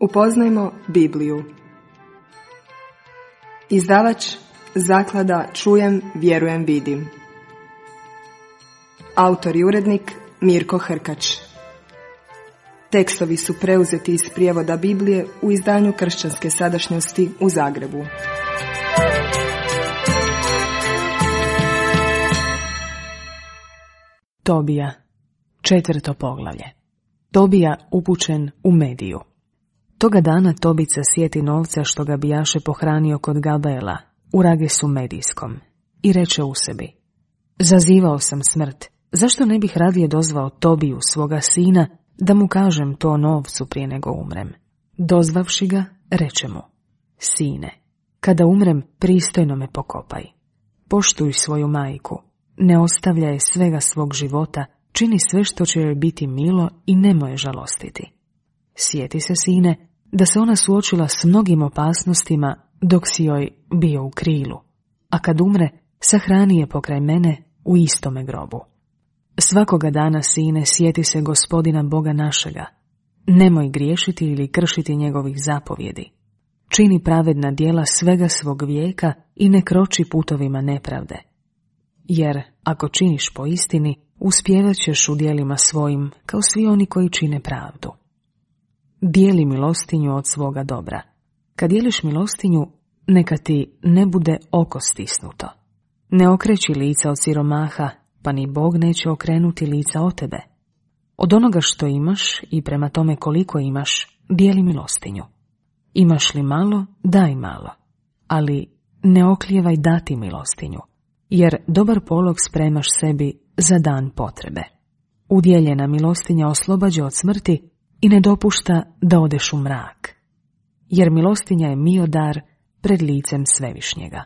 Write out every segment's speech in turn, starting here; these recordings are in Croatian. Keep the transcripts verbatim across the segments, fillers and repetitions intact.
Upoznajmo Bibliju. Izdavač Zaklada Čujem, vjerujem, vidim. Autor i urednik Mirko Hrkač. Tekstovi su preuzeti iz prijevoda Biblije u izdanju Kršćanske sadašnjosti u Zagrebu. Tobija, četvrto poglavlje. Tobija upućen u Mediju. Toga dana Tobica sjeti novca što ga bijaše pohranio kod Gabaela u Ragesu Medijskom i reče u sebi: zazivao sam smrt, zašto ne bih radije dozvao Tobiju svoga sina da mu kažem to novcu prije nego umrem. Dozvavši ga, reče mu: sine, kada umrem, pristojno me pokopaj. Poštuj svoju majku, ne ostavljaj svega svog života, čini sve što će joj biti milo i nemoj je žalostiti. Sjeti se, sine, da se ona suočila s mnogim opasnostima dok si joj bio u krilu, a kad umre, sahrani je pokraj mene u istome grobu. Svakoga dana, sine, sjeti se Gospodina Boga našega. Nemoj griješiti ili kršiti njegovih zapovjedi. Čini pravedna djela svega svog vijeka i ne kroči putovima nepravde. Jer ako činiš po istini, uspjevat ćeš u djelima svojim kao svi oni koji čine pravdu. Dijeli milostinju od svoga dobra. Kad dijeliš milostinju, neka ti ne bude oko stisnuto. Ne okreći lica od siromaha, pa ni Bog neće okrenuti lica od tebe. Od onoga što imaš i prema tome koliko imaš, dijeli milostinju. Imaš li malo, daj malo, ali ne oklijevaj dati milostinju, jer dobar polog spremaš sebi za dan potrebe. Udjeljena milostinja oslobađa od smrti i ne dopušta da odeš u mrak, jer milostinja je mio dar pred licem Svevišnjega.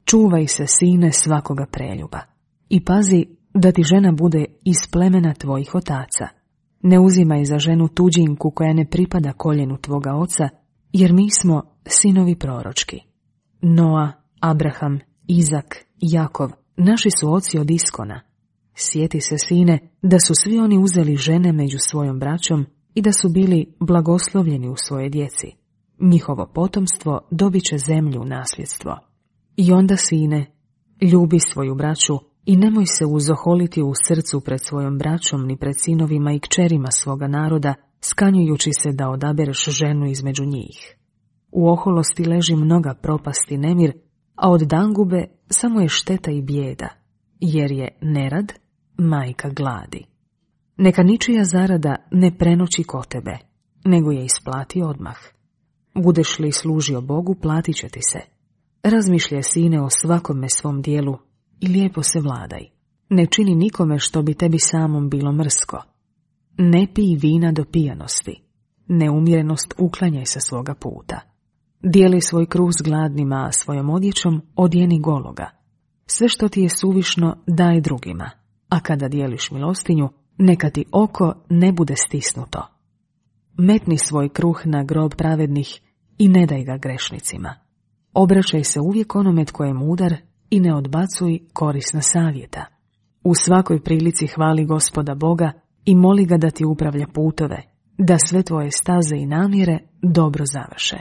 Čuvaj se, sine, svakoga preljuba i pazi da ti žena bude iz plemena tvojih otaca. Ne uzimaj za ženu tuđinku koja ne pripada koljenu tvoga oca, jer mi smo sinovi proročki. Noa, Abraham, Izak, Jakov, naši su oci od Iskona. Sjeti se, sine, da su svi oni uzeli žene među svojom braćom i da su bili blagoslovljeni u svoje djeci. Njihovo potomstvo dobit će zemlju u nasljedstvo. I onda, sine, ljubi svoju braću i nemoj se uzoholiti u srcu pred svojom braćom ni pred sinovima i kćerima svoga naroda, skanjujući se da odabereš ženu između njih. U oholosti leži mnoga propast i nemir, a od dangube samo je šteta i bijeda, jer je nerad majka gladi. Neka ničija zarada ne prenoći kod tebe, nego je isplati odmah. Budeš li služio Bogu, platit će ti se. Razmišljaj, sine, o svakome svom dijelu i lijepo se vladaj. Ne čini nikome što bi tebi samom bilo mrsko. Ne pij vina do pijanosti. Neumjerenost uklanjaj sa svoga puta. Dijeli svoj kruh s gladnima, a svojom odjećom odjeni gologa. Sve što ti je suvišno daj drugima, a kada dijeliš milostinju, neka ti oko ne bude stisnuto. Metni svoj kruh na grob pravednih i ne daj ga grešnicima. Obraćaj se uvijek onome tko je mudar i ne odbacuj korisna savjeta. U svakoj prilici hvali Gospoda Boga i moli ga da ti upravlja putove, da sve tvoje staze i namjere dobro završe.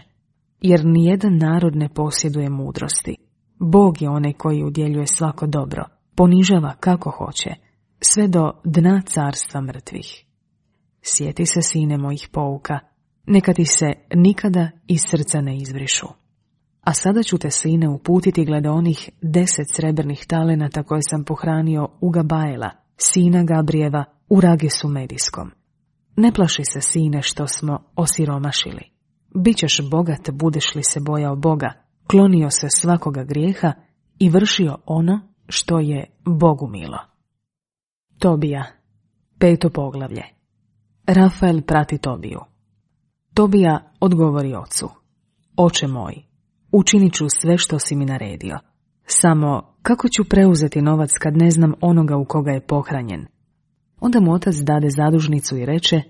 Jer nijedan narod ne posjeduje mudrosti. Bog je onaj koji udjeljuje svako dobro, ponižava kako hoće, sve do dna carstva mrtvih. Sjeti se, sine, mojih pouka, neka ti se nikada iz srca ne izbrišu. A sada ću te, sine, uputiti glede onih deset srebrnih talenata koje sam pohranio u Gabaela, sina Gabrijeva, u Ragesu Medijskom. Ne plaši se, sine, što smo osiromašili. Bićeš bogat, budeš li se bojao Boga, klonio se svakoga grijeha i vršio ono što je Bogu milo. Tobija, peto poglavlje. Rafael prati Tobiju. Tobija odgovori ocu: oče moj, učinit ću sve što si mi naredio. Samo kako ću preuzeti novac kad ne znam onoga u koga je pohranjen? Onda mu otac dade zadužnicu i reče: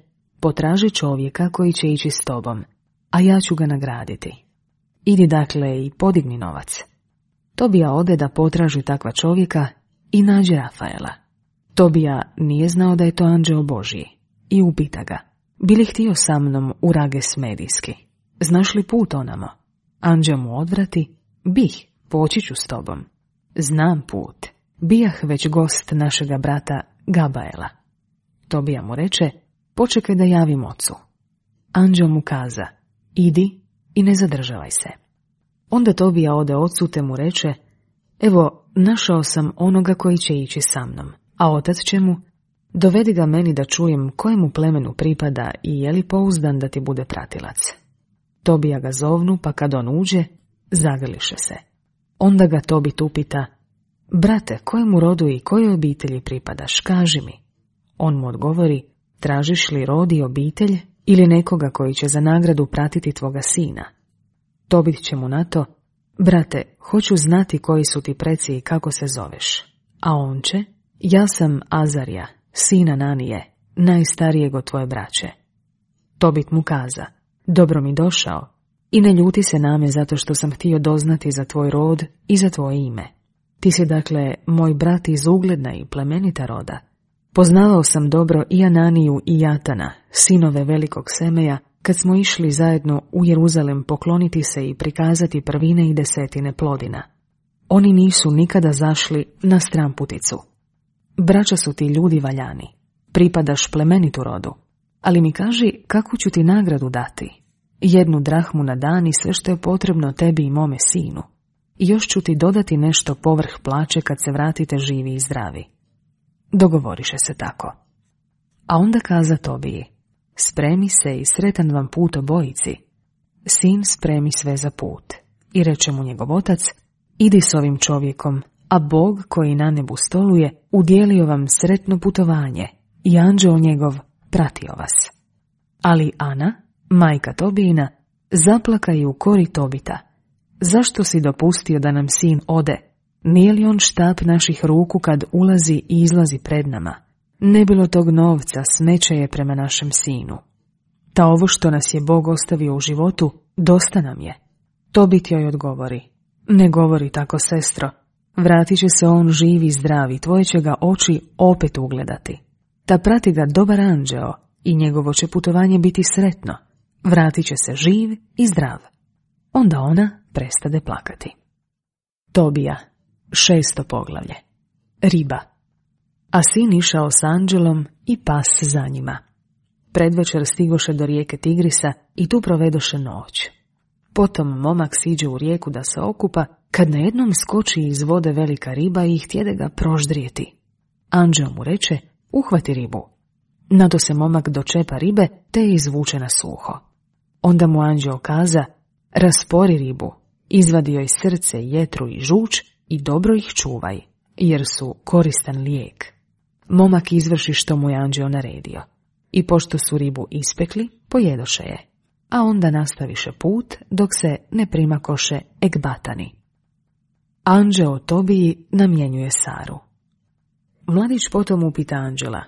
potraži čovjeka koji će ići s tobom, a ja ću ga nagraditi. Idi dakle i podigni novac. Tobija ode da potraži takva čovjeka i nađe Rafaela. Tobija nije znao da je to anđeo Božji i upita ga: bili htio sa mnom u Rages Medijski. Znaš li put onamo? Anđeo mu odvrati, bih, poći ću s tobom. Znam put, bijah već gost našega brata Gabaela. Tobija mu reče, počekaj da javim ocu. Anđeo mu kaza, idi i ne zadržavaj se. Onda Tobija ode ocu te mu reče, evo, našao sam onoga koji će ići sa mnom, a otac će mu, dovedi ga meni da čujem kojemu plemenu pripada i je li pouzdan da ti bude pratilac. Tobija ga zovnu, pa kad on uđe, zagrliše se. Onda ga Tobit upita, brate, kojemu rodu i kojoj obitelji pripadaš, kaži mi. On mu odgovori, tražiš li rod i obitelj ili nekoga koji će za nagradu pratiti tvoga sina? Tobit će mu na to, brate, hoću znati koji su ti preci i kako se zoveš. A on će, ja sam Azarija, sina Nanije, najstarijeg od tvoje braće. Tobit mu kaza, dobro mi došao i ne ljuti se na me zato što sam htio doznati za tvoj rod i za tvoje ime. Ti si dakle moj brat iz ugledna i plemenita roda. Poznavao sam dobro i Ananiju i Jatana, sinove velikog Semeja, kad smo išli zajedno u Jeruzalem pokloniti se i prikazati prvine i desetine plodina. Oni nisu nikada zašli na stramputicu. Braća su ti ljudi valjani, pripadaš plemenitu rodu, ali mi kaži kakvu ću ti nagradu dati. Jednu drahmu na dan i sve što je potrebno tebi i mome sinu. I još ću ti dodati nešto povrh plaće kad se vratite živi i zdravi. Dogovoriše se tako. A onda kaza Tobiji, spremi se i sretan vam put obojici. Sin spremi sve za put. I reče mu njegov otac, idi s ovim čovjekom, a Bog koji na nebu stoluje udjelio vam sretno putovanje i anđeo njegov pratio vas. Ali Ana, majka Tobijina, zaplaka i u kori Tobita. Zašto si dopustio da nam sin ode? Nije li on štap naših ruku kad ulazi i izlazi pred nama? Ne bilo tog novca, smeće je prema našem sinu. Ta ovo što nas je Bog ostavio u životu, dosta nam je. Tobit joj odgovori, ne govori tako, sestro, vratit će se on živ i zdrav i tvoje će ga oči opet ugledati. Ta prati ga dobar anđeo i njegovo će putovanje biti sretno, vratit će se živ i zdrav. Onda ona prestade plakati. Tobija, šesto poglavlje. Riba. A sin išao s anđelom i pas za njima. Predvečer stigoše do rijeke Tigrisa i tu provedoše noć. Potom momak siđe u rijeku da se okupa, kad najednom skoči iz vode velika riba i htjede ga proždrijeti. Anđeo mu reče, uhvati ribu. Nado se momak dočepa ribe, te je izvuče na suho. Onda mu anđeo kaza, raspori ribu, izvadi joj srce, jetru i žuč i dobro ih čuvaj, jer su koristan lijek. Momak izvrši što mu je anđeo naredio. I pošto su ribu ispekli, pojedoše je, a onda nastaviše put dok se ne primakoše Ekbatani. Anđeo Tobiji namjenjuje Saru. Mladić potom upita anđela,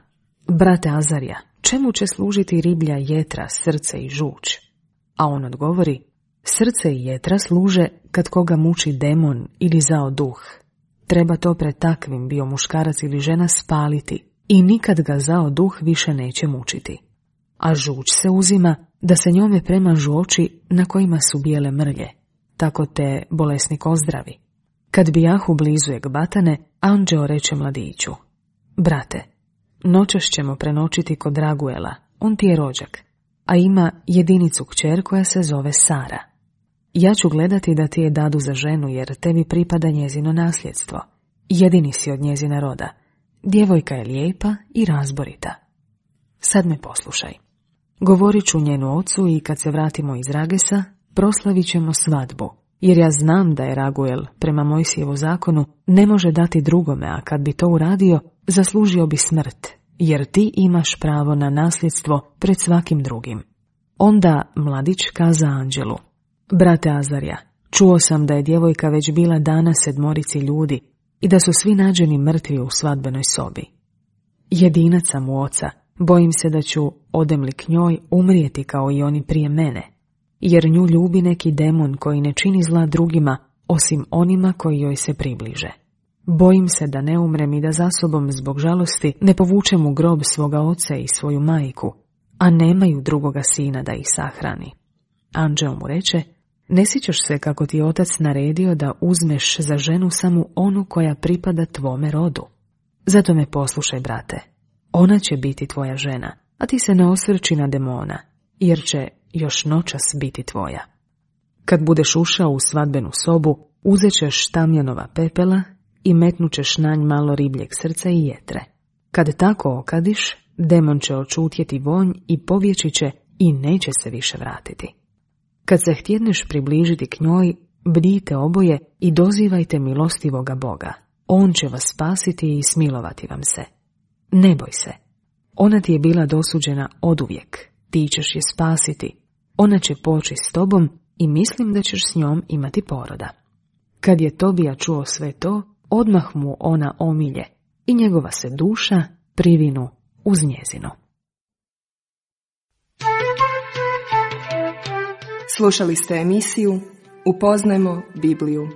brate Azarija, čemu će služiti riblja, jetra, srce i žuč? A on odgovori, srce i jetra služe kad koga muči demon ili zao duh. Treba to pred takvim, bio muškarac ili žena, spaliti i nikad ga zao duh više neće mučiti. A žuč se uzima da se njome premažu oči na kojima su bijele mrlje, tako te bolesnik ozdravi. Kad bijahu blizu Ekbatane, anđeo reče mladiću, brate, noćas ćemo prenoćiti kod Raguela, on ti je rođak, a ima jedinicu kćer koja se zove Sara. Ja ću gledati da ti je dadu za ženu, jer tebi pripada njezino nasljedstvo. Jedini si od njezina roda. Djevojka je lijepa i razborita. Sad me poslušaj. Govorit ću njenu ocu i kad se vratimo iz Ragesa, proslavit ćemo svadbu, jer ja znam da je Raguel, prema Mojsijevu zakonu, ne može dati drugome, a kad bi to uradio, zaslužio bi smrt, jer ti imaš pravo na nasljedstvo pred svakim drugim. Onda mladić kaza anđelu, brate Azarija, čuo sam da je djevojka već bila dana sedmorici ljudi i da su svi nađeni mrtvi u svadbenoj sobi. Jedinac sam u oca, bojim se da ću, odem li k njoj, umrijeti kao i oni prije mene, jer nju ljubi neki demon koji ne čini zla drugima, osim onima koji joj se približe. Bojim se da ne umrem i da za sobom zbog žalosti ne povučem u grob svoga oca i svoju majku, a nemaju drugoga sina da ih sahrani. Anđeo mu reče, ne sjećaš se kako ti otac naredio da uzmeš za ženu samo onu koja pripada tvome rodu. Zato me poslušaj, brate. Ona će biti tvoja žena, a ti se ne osvrči na demona, jer će još noćas biti tvoja. Kad budeš ušao u svadbenu sobu, uzet ćeš tamjanova pepela i metnućeš na nj malo ribljeg srca i jetre. Kad tako okadiš, demon će očutjeti vonj i povjeći će i neće se više vratiti. Kad se htjedneš približiti k njoj, bdijte oboje i dozivajte milostivoga Boga. On će vas spasiti i smilovati vam se. Ne boj se. Ona ti je bila dosuđena oduvijek. Ti ćeš je spasiti. Ona će poći s tobom i mislim da ćeš s njom imati poroda. Kad je Tobija čuo sve to, odmah mu ona omilje i njegova se duša privinu uz njezino. Slušali ste emisiju Upoznajmo Bibliju.